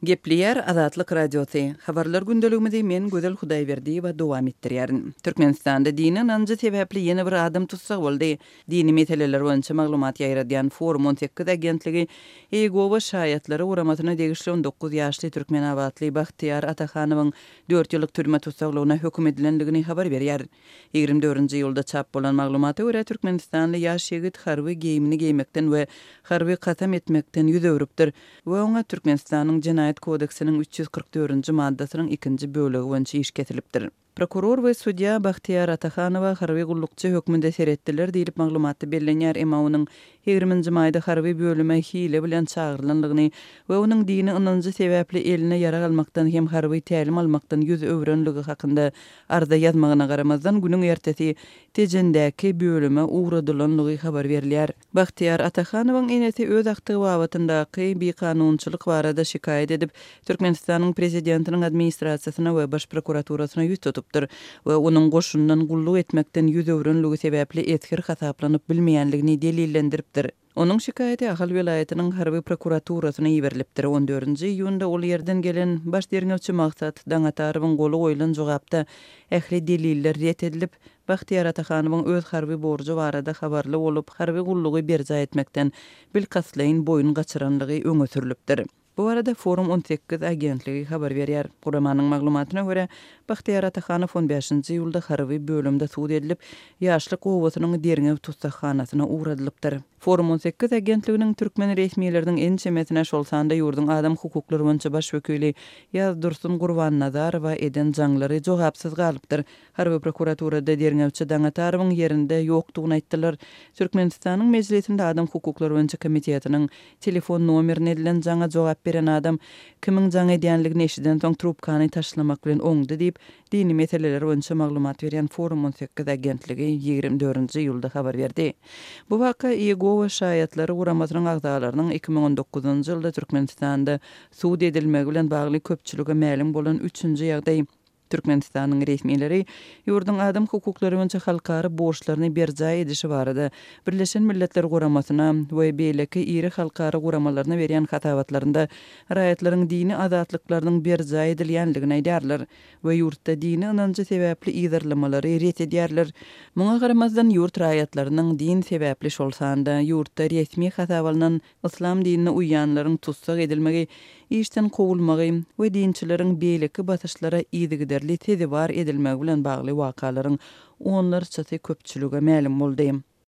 Gepleýär Azatlyk Radiosy. Habarlar gündeligimizi men Gözel Hudaýberdiýewa dowam etdirýärin. Türkmenistanda dini ynanjy sebäpli ýene bir adam tussag boldy. Dini meseleler boýunça maglumat ýaýradýan Forum 18 agentligi Iýegowa şaýatlary guramasyna degişli 19 ýaşly türkmenabatly Bagtyýar Atahanowyň dört ýyllyk türme tussaglygyna höküm edilendigini habar berýär. 24-nji iýulda çap bolan maglumata görä, türkmenistanly ýaş ýigit harby geýimini geýmekden we harby kasam etmekden ýüz öwrüpdir we oňa Türkmenistanyň Jenaýat kodeksiniň 344-nji maddasynyň ikinji bölegi boýunça iş kesilipdir. Prokuror we sudýa Bagtyýar Atahanowa harby gullukçy hökmünde seretdiler diýlip maglumatda bellenýär, emma onuň Ýigriminji maýda harby bölüme hile bilen çagyrylandygyny we onuň dini ynanjy sebäpli eline ýarag almakdan hem harby tälim almakdan ýüz öwrenligi hakynda arza ýazmagyna garamazdan, günüň ertesi Tejendäki bölüme ugradylandygy habar berilýär. Bagtyýar Atahanowyň enesi öz agtygy babatyndaky bikanunçylyk barada şikaýat edip, Türkmenistanyň Prezidentiniň Administrasiýasyna we Baş prokuraturasyna ýüz tutupdyr we onuň goşundan gulluk etmekden ýüz öwrenligi sebäpli esger hasaplanyp bilmeýänligini delillendiripdir. Onuň şikaýaty Ahal welaýatynyň harby prokuraturasyna iberilipdir. On dördünji iýunda ol ýerden gelen baş derňewçi Maksat Daňatarowyň goly goýlan jogapda ähli deliller ret edilip, Bagtyýar Atahanowyň öz harby borjy barada habarly bolup, harby gullugy berjaý etmekden bilkastlaýyn boýun gaçyranlygy öňe sürlüpdir. Bu barada Forum 18 agentligi habar berýär. Guramanyň maglumatyna görä, Bagtyýar Atahanow on bäşinji iýulda harby bölümde sud edilip, Ýaşlyk obasynyň derňew tussaghanasyna ugradylypdyr. Forum 18 agentliginiň türkmen resmileriniň ençemesine, şol sanda ýurduň adam hukuklary boýunça baş wekili Ýazdursun Gurbannazarowa eden jaňlary jogapsyz galypdyr. Harby prokuraturada derňewçi Daňatarowyň ýerinde ýokdugyny aýtdylar. Türkmenistanyň Mejlisinde adam hukuklary boýunça komitetiniň Telefon nomerine edilen jaňa jogap beren adam kimiň jaň edýänligini eşidensoň trubkany taşlamak bilen oňdy diýip, dini meseleler boýunça maglumat berýän Forum 18 agentligi 24-nji iýulda habar berdi. Bu waka Iýegowa şaýatlary guramasynyň agzalarynyň 2019-njy ýylda Türkmenistanda sud edilmegi bilen bagly köpçülige mälim bolan üçünji ýagdaý. Türkmenistanyň resmileri ýurduň adam hukuklary boýunça halkara borçlaryny berjaý edişi barada Birleşen Milletler Guramasyna we beýleki iri halkara guramalaryna berýän hasabatlarynda raýatlaryň dini azatlyklarynyň berjaý edilýändigini aýdýarlar we ýurtda dini ynanjy sebäpli yzarlamalary ret edýärler. Muňa garamazdan, ýurt raýatlarynyň din sebäpli, şol sanda ýurtda resmi hasaba alnan Yslam dinine uýýanlaryň tussag edilmegi, işden kowulmagy we dinçileriň beýleki basyşlara yzygiderli sezewar edilmegi bilen bagly wakalaryň onlarçasy köpçülige mälim boldy.